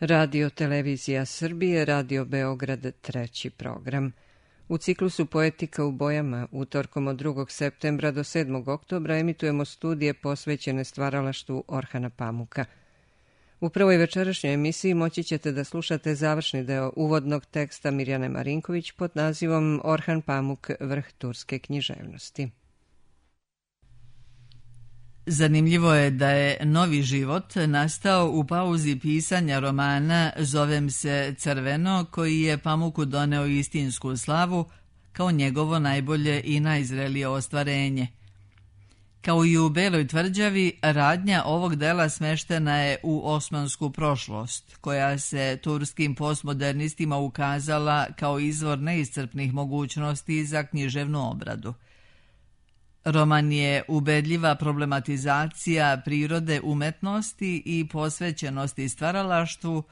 Radio Televizija Srbije, Radio Beograd, treći program. U ciklusu Poetika u bojama, utorkom od 2. septembra do 7. oktobra emitujemo studije posvećene stvaralaštvu Orhana Pamuka. U prvoj večerašnjoj emisiji moći ćete da slušate završni deo uvodnog teksta Mirjane Marinković pod nazivom Orhan Pamuk, vrh turske književnosti. Zanimljivo je da je novi život nastao u pauzi pisanja romana Zovem se Crveno, koji je Pamuku doneo istinsku slavu kao njegovo najbolje i najzrelije ostvarenje. Kao i u Beloj tvrđavi, radnja ovog dela smeštena je u osmansku prošlost, koja se turskim postmodernistima ukazala kao izvor neiscrpnih mogućnosti za književnu obradu. Roman je ubedljiva problematizacija prirode umetnosti i posvećenosti stvaralaštvu,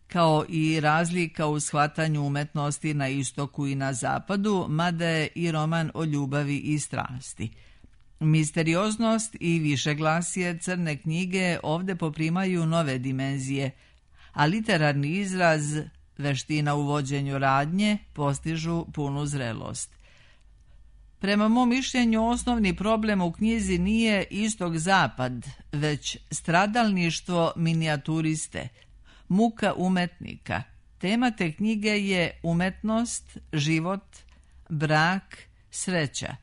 kao i razlika u shvatanju umetnosti na istoku i na zapadu, mada je i roman o ljubavi i strasti. Misterioznost i višeglasje Crne knjige ovde poprimaju nove dimenzije, a literarni izraz, veština u vođenju radnje, postižu punu zrelost. Prema mom mišljenju, osnovni problem u knjizi nije istok-zapad, već stradalništvo minijaturiste, muka umetnika. Tema te knjige je umetnost, život, brak, sreća.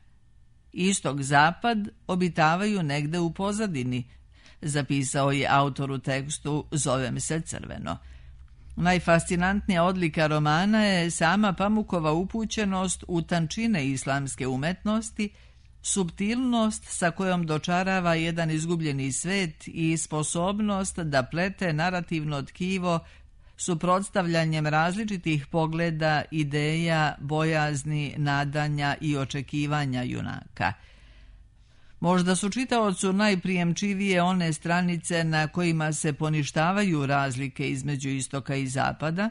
Istok-zapad obitavaju negde u pozadini, zapisao je autor u tekstu Zovem se Crveno. Najfascinantnija odlika romana je sama Pamukova upućenost u tančine islamske umetnosti, suptilnost sa kojom dočarava jedan izgubljeni svet i sposobnost da plete narativno tkivo suprotstavljanjem različitih pogleda, ideja, bojazni, nadanja i očekivanja junaka. Možda su čitaocu najprijemčivije one stranice na kojima se poništavaju razlike između istoka i zapada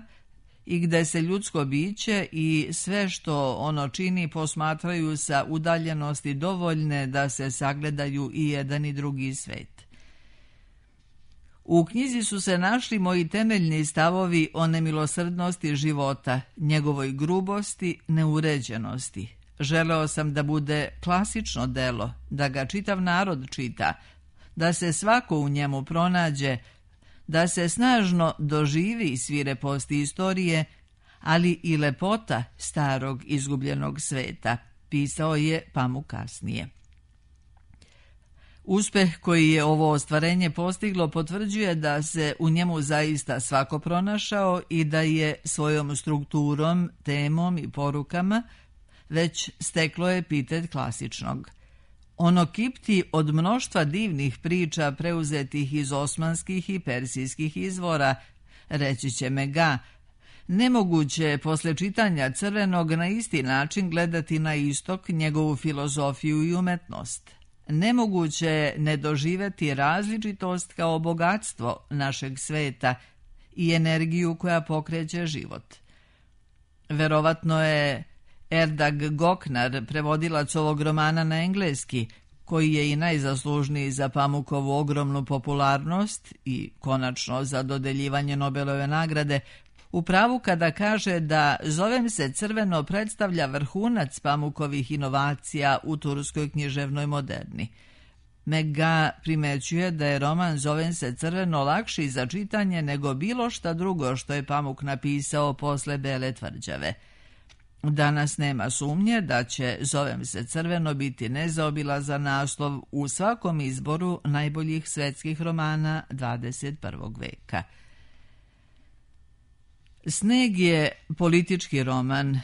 i gde se ljudsko biće i sve što ono čini posmatraju sa udaljenosti dovoljne da se sagledaju i jedan i drugi svet. U knjizi su se našli moji temeljni stavovi o nemilosrdnosti života, njegovoj grubosti, neuređenosti. Želeo sam da bude klasično delo, da ga čitav narod čita, da se svako u njemu pronađe, da se snažno doživi svireposti istorije, ali i lepota starog izgubljenog sveta, pisao je Pamuk kasnije. Uspeh koji je ovo ostvarenje postiglo potvrđuje da se u njemu zaista svako pronašao i da je svojom strukturom, temom i porukama već steklo epitet klasičnog. Ono kipti od mnoštva divnih priča preuzetih iz osmanskih i persijskih izvora, reći će Mega. Nemoguće je posle čitanja Crvenog na isti način gledati na istok, njegovu filozofiju i umetnost. Nemoguće je ne doživeti različitost kao bogatstvo našeg sveta i energiju koja pokreće život. Verovatno je Erdag Goknar, prevodilac ovog romana na engleski, koji je i najzaslužniji za Pamukovu ogromnu popularnost i konačno za dodeljivanje Nobelove nagrade, u pravu kada kaže da Zovem se Crveno predstavlja vrhunac Pamukovih inovacija u turskoj književnoj moderni. Mega primećuje da je roman Zovem se Crveno lakši za čitanje nego bilo šta drugo što je Pamuk napisao posle Bele tvrđave. Danas nema sumnje da će Zovem se Crveno biti nezaobilazan naslov u svakom izboru najboljih svetskih romana 21. veka. Sneg je politički roman,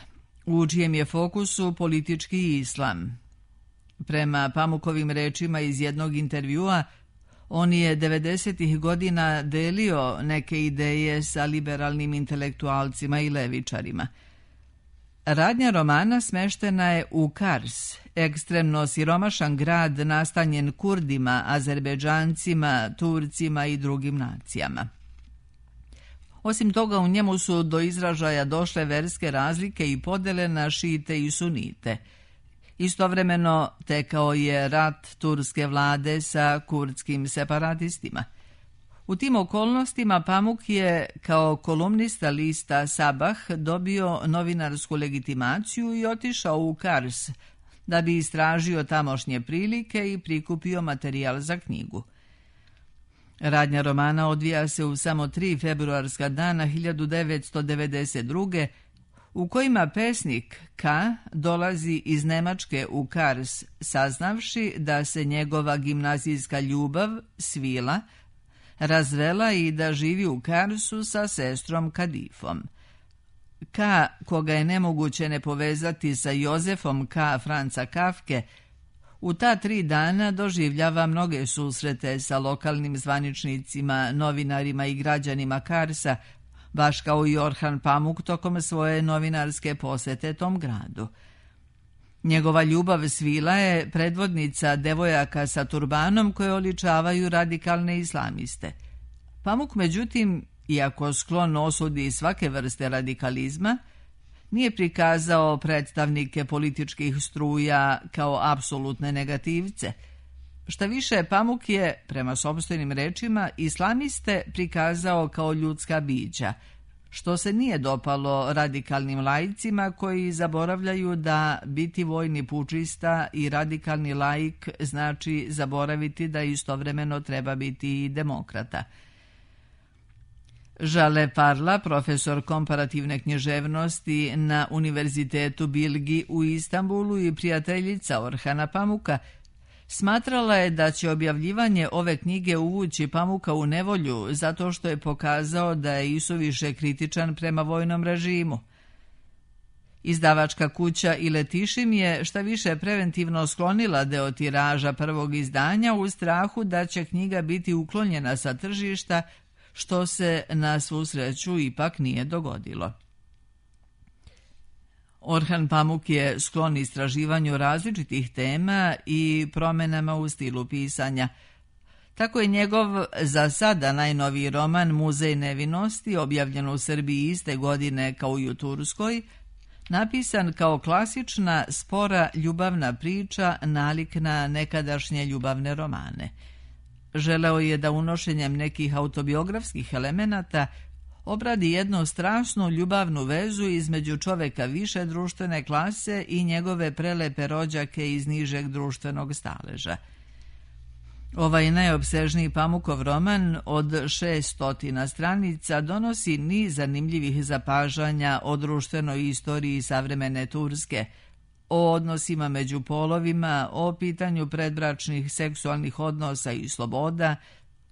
u čijem je fokusu politički islam. Prema Pamukovim rečima iz jednog intervjua, on je 90. godina delio neke ideje sa liberalnim intelektualcima i levičarima. Radnja romana smeštena je u Kars, ekstremno siromašan grad nastanjen Kurdima, Azerbejdžancima, Turcima i drugim nacijama. Osim toga, u njemu su do izražaja došle verske razlike i podele na šite i sunite. Istovremeno tekao je rat turske vlade sa kurdskim separatistima. U tim okolnostima Pamuk je kao kolumnista lista Sabah dobio novinarsku legitimaciju i otišao u Kars da bi istražio tamošnje prilike i prikupio materijal za knjigu. Radnja romana odvija se u samo 3 februarska dana 1992. u kojima pesnik K. dolazi iz Nemačke u Kars, saznavši da se njegova gimnazijska ljubav, Svila, razvela i da živi u Karsu sa sestrom Kadifom. K., koga je nemoguće ne povezati sa Jozefom K. Franca Kafke, u ta 3 dana doživljava mnoge susrete sa lokalnim zvaničnicima, novinarima i građanima Karsa, baš kao i Orhan Pamuk tokom svoje novinarske posete tom gradu. Njegova ljubav Svila je predvodnica devojaka sa turbanom koje oličavaju radikalne islamiste. Pamuk, međutim, iako sklon osudi svake vrste radikalizma, nije prikazao predstavnike političkih struja kao apsolutne negativce. Šta više, Pamuk je, prema sopstvenim rečima, islamiste prikazao kao ljudska bića, što se nije dopalo radikalnim laicima koji zaboravljaju da biti vojni pučista i radikalni laik znači zaboraviti da istovremeno treba biti i demokrata. Žale Parla, profesor komparativne književnosti na Univerzitetu Bilgi u Istanbulu i prijateljica Orhana Pamuka, smatrala je da će objavljivanje ove knjige uvući Pamuka u nevolju zato što je pokazao da je isuviše kritičan prema vojnom režimu. Izdavačka kuća Iletišim je šta više preventivno sklonila deo tiraža prvog izdanja u strahu da će knjiga biti uklonjena sa tržišta, što se na svu sreću ipak nije dogodilo. Orhan Pamuk je sklon istraživanju različitih tema i promjenama u stilu pisanja. Tako je njegov za sada najnoviji roman Muzej nevinosti, objavljen u Srbiji iste godine kao i u Turskoj, napisan kao klasična, spora ljubavna priča nalik na nekadašnje ljubavne romane. Želeo je da unošenjem nekih autobiografskih elemenata obradi jednu strasnu ljubavnu vezu između čoveka više društvene klase i njegove prelepe rođake iz nižeg društvenog staleža. Ovaj najopsežniji Pamukov roman od 600 stranica donosi niz zanimljivih zapažanja o društvenoj istoriji savremene Turske, o odnosima među polovima, o pitanju predbračnih seksualnih odnosa i sloboda,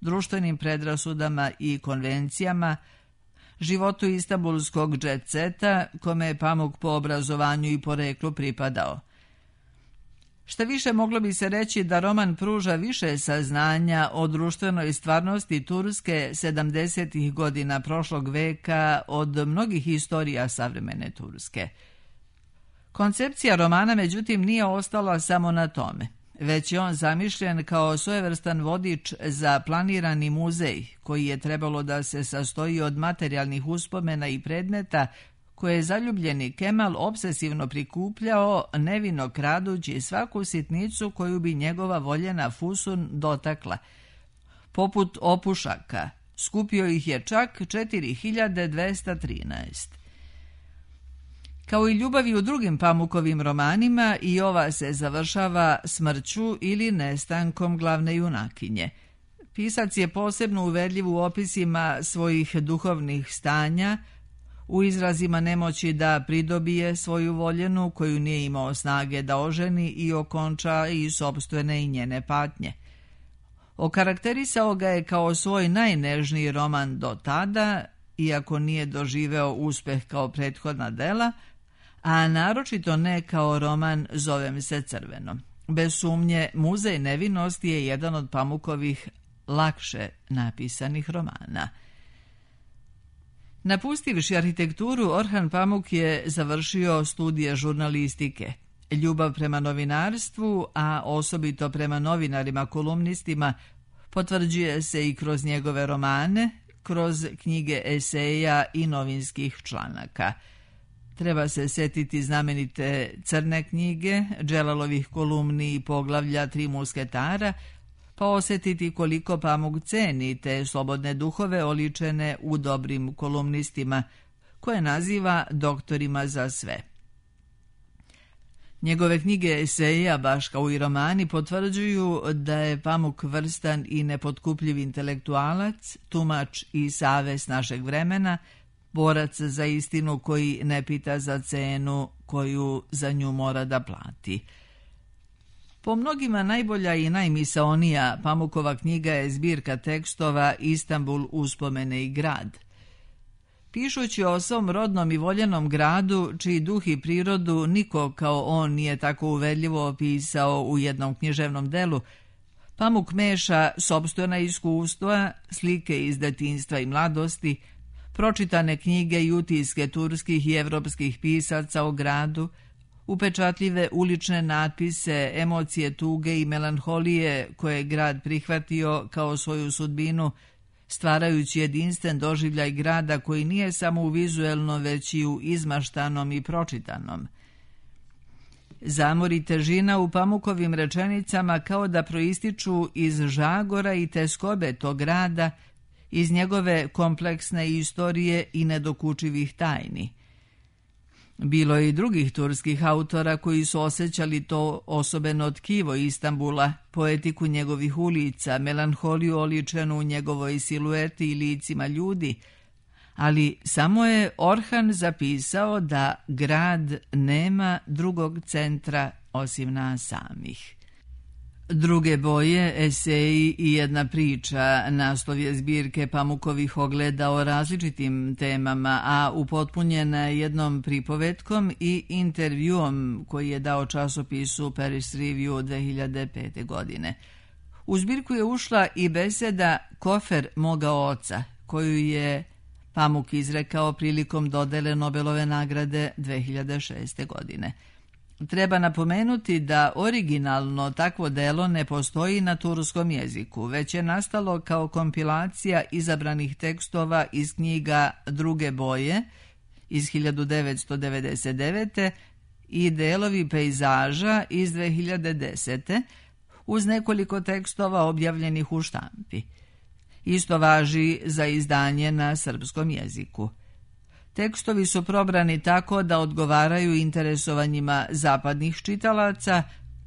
društvenim predrasudama i konvencijama, životu istanbulskog džet-seta, kome je Pamuk po obrazovanju i poreklu pripadao. Šta više, moglo bi se reći da roman pruža više saznanja o društvenoj stvarnosti Turske 70. godina prošlog veka od mnogih historija savremene Turske. Koncepcija romana, međutim, nije ostala samo na tome, već je on zamišljen kao svojevrstan vodič za planirani muzej, koji je trebalo da se sastoji od materijalnih uspomena i predmeta koje je zaljubljeni Kemal obsesivno prikupljao, nevino kradući svaku sitnicu koju bi njegova voljena Fusun dotakla. Poput opušaka, skupio ih je čak 4213. Kao i ljubavi u drugim Pamukovim romanima, i ova se završava smrću ili nestankom glavne junakinje. Pisac je posebno uverljiv u opisima svojih duhovnih stanja, u izrazima nemoći da pridobije svoju voljenu koju nije imao snage da oženi i okonča i sopstvene i njene patnje. Okarakterisao ga je kao svoj najnežniji roman do tada, iako nije doživeo uspeh kao prethodna dela, a naročito ne kao roman Zovem se crveno. Bez sumnje, Muzej nevinosti je jedan od Pamukovih lakše napisanih romana. Napustivši arhitekturu, Orhan Pamuk je završio studije žurnalistike. Ljubav prema novinarstvu, a osobito prema novinarima kolumnistima, potvrđuje se i kroz njegove romane, kroz knjige eseja i novinskih članaka. Treba se setiti znamenite Crne knjige, Dželalovih kolumni i poglavlja Tri musketara, pa osjetiti koliko Pamuk ceni te slobodne duhove oličene u dobrim kolumnistima, koje naziva doktorima za sve. Njegove knjige eseja, baš kao i romani, potvrđuju da je Pamuk vrstan i nepotkupljiv intelektualac, tumač i savez našeg vremena, borac za istinu koji ne pita za cenu koju za nju mora da plati. Po mnogima najbolja i najmisaonija Pamukova knjiga je zbirka tekstova Istanbul, uspomene i grad. Pišući o svom rodnom i voljenom gradu, čiji duh i prirodu niko kao on nije tako uverljivo opisao u jednom književnom delu, Pamuk meša sopstvena iskustva, slike iz detinjstva i mladosti, pročitane knjige i utiske turskih i evropskih pisaca o gradu, upečatljive ulične natpise, emocije tuge i melanholije koje je grad prihvatio kao svoju sudbinu, stvarajući jedinstven doživljaj grada koji nije samo u vizuelno, već i u izmaštanom i pročitanom. Zamor i težina u Pamukovim rečenicama kao da proističu iz žagora i teskobe tog grada, iz njegove kompleksne istorije i nedokučivih tajni. Bilo je i drugih turskih autora koji su osjećali to osobeno tkivo Istanbula, poetiku njegovih ulica, melanholiju oličenu u njegovoj silueti i licima ljudi, ali samo je Orhan zapisao da grad nema drugog centra osim nas samih. Druge boje, eseji i jedna priča, naslov je zbirke Pamukovih ogleda o različitim temama, a upotpunjena jednom pripovetkom i intervjuom koji je dao časopisu Paris Review 2005. godine. U zbirku je ušla i beseda Kofer moga oca, koju je Pamuk izrekao prilikom dodele Nobelove nagrade 2006. godine. Treba napomenuti da originalno takvo delo ne postoji na turskom jeziku, već je nastalo kao kompilacija izabranih tekstova iz knjiga Druge boje iz 1999. i delovi pejzaža iz 2010. uz nekoliko tekstova objavljenih u štampi. Isto važi za izdanje na srpskom jeziku. Tekstovi su probrani tako da odgovaraju interesovanjima zapadnih čitalaca,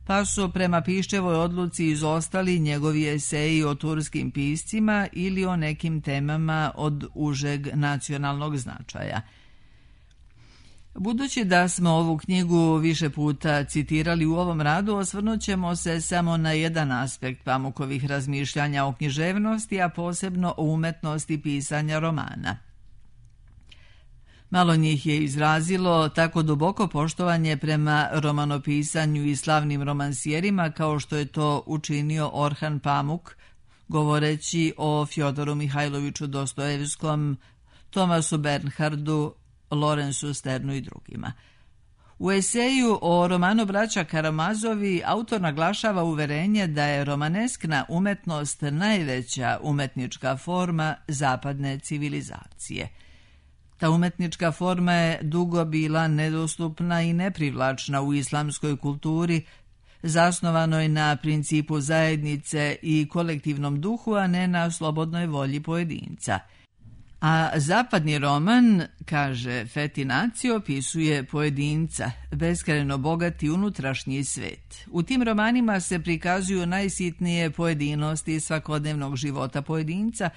pa su prema Piščevoj odluci izostali njegovi eseji o turskim piscima ili o nekim temama od užeg nacionalnog značaja. Budući da smo ovu knjigu više puta citirali u ovom radu, osvrnut ćemo se samo na jedan aspekt Pamukovih razmišljanja o književnosti, a posebno o umetnosti pisanja romana. Malo njih je izrazilo tako duboko poštovanje prema romanopisanju i slavnim romansijerima kao što je to učinio Orhan Pamuk, govoreći o Fjodoru Mihajloviću Dostojevskom, Tomasu Bernhardu, Lorenzu Sternu i drugima. U eseju o romanu Braća Karamazovi autor naglašava uverenje da je romaneskna umetnost najveća umetnička forma zapadne civilizacije. Ta umetnička forma je dugo bila nedostupna i neprivlačna u islamskoj kulturi, zasnovanoj na principu zajednice i kolektivnom duhu, a ne na slobodnoj volji pojedinca. A zapadni roman, kaže Fetinaci, opisuje pojedinca, beskrajno bogati unutrašnji svet. U tim romanima se prikazuju najsitnije pojedinosti svakodnevnog života pojedinca,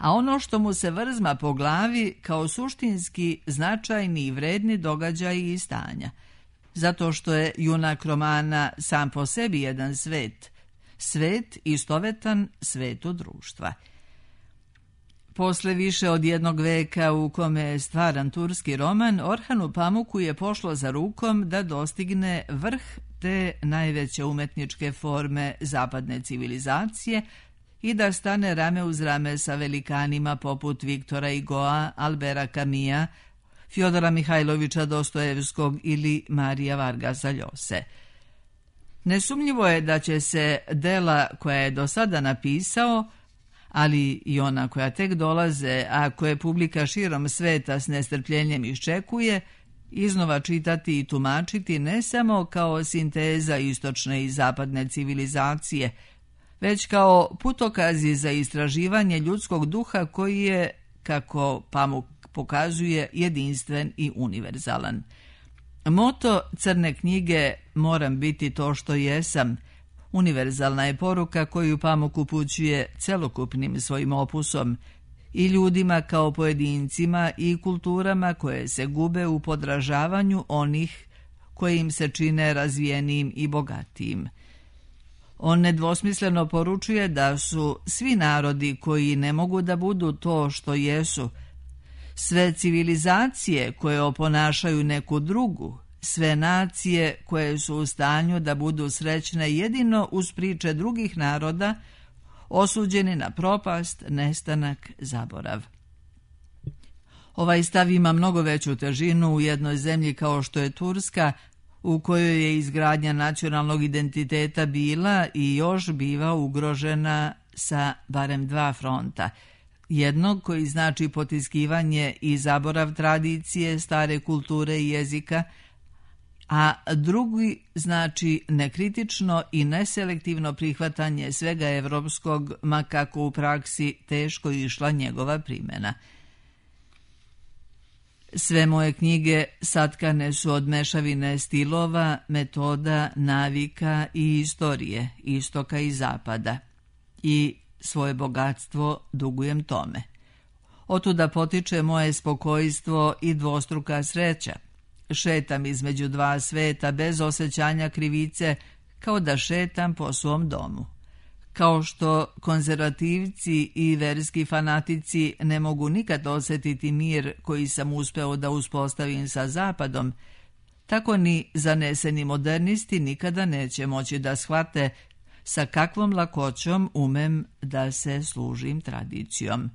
a ono što mu se vrzma po glavi kao suštinski značajni i vredni događaji i stanja. Zato što je junak romana sam po sebi jedan svet, svet istovetan svetu društva. Posle više od jednog veka u kome je stvaran turski roman, Orhanu Pamuku je pošlo za rukom da dostigne vrh te najveće umetničke forme zapadne civilizacije i da stane rame uz rame sa velikanima poput Viktora Hugoa, Albera Camisa, Fjodora Mihajlovića Dostojevskog ili Marija Vargasa Ljose. Nesumnjivo je da će se dela koja je do sada napisao, ali i ona koja tek dolaze, a koje publika širom sveta s nestrpljenjem iščekuje, iznova čitati i tumačiti ne samo kao sinteza istočne i zapadne civilizacije, već kao putokazi za istraživanje ljudskog duha koji je, kako Pamuk pokazuje, jedinstven i univerzalan. Moto Crne knjige "Moram biti to što jesam" univerzalna je poruka koju Pamuk upućuje celokupnim svojim opusom i ljudima kao pojedincima i kulturama koje se gube u podražavanju onih koji im se čine razvijenijim i bogatijim. On nedvosmisleno poručuje da su svi narodi koji ne mogu da budu to što jesu, sve civilizacije koje oponašaju neku drugu, sve nacije koje su u stanju da budu srećne jedino uz priče drugih naroda, osuđeni na propast, nestanak, zaborav. Ovaj stav ima mnogo veću težinu u jednoj zemlji kao što je Turska, u kojoj je izgradnja nacionalnog identiteta bila i još biva ugrožena sa barem dva fronta. Jednog koji znači potiskivanje i zaborav tradicije, stare kulture i jezika, a drugi znači nekritično i neselektivno prihvatanje svega evropskog, ma kako u praksi teško išla njegova primjena. Sve moje knjige satkane su od mešavine stilova, metoda, navika i istorije, istoka i zapada. I svoje bogatstvo dugujem tome. Otuda potiče moje spokojstvo i dvostruka sreća. Šetam između dva sveta bez osjećanja krivice, kao da šetam po svom domu. Kao što konzervativci i verski fanatici ne mogu nikad osjetiti mir koji sam uspeo da uspostavim sa Zapadom, tako ni zaneseni modernisti nikada neće moći da shvate sa kakvom lakoćom umem da se služim tradicijom.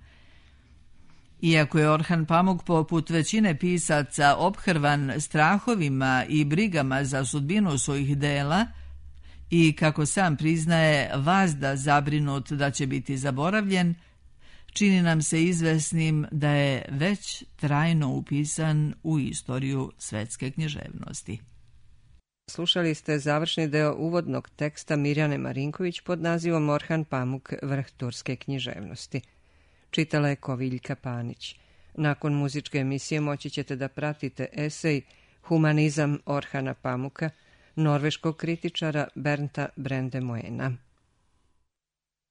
Iako je Orhan Pamuk poput većine pisaca ophrvan strahovima i brigama za sudbinu svojih dela i, kako sam priznaje, vazda zabrinut da će biti zaboravljen, čini nam se izvesnim da je već trajno upisan u istoriju svetske književnosti. Slušali ste završni deo uvodnog teksta Mirjane Marinković pod nazivom Orhan Pamuk, vrh turske književnosti. Čitala je Koviljka Panić. Nakon muzičke emisije moći ćete da pratite esej Humanizam Orhana Pamuka, norveškog kritičara Bernta Brandemoena.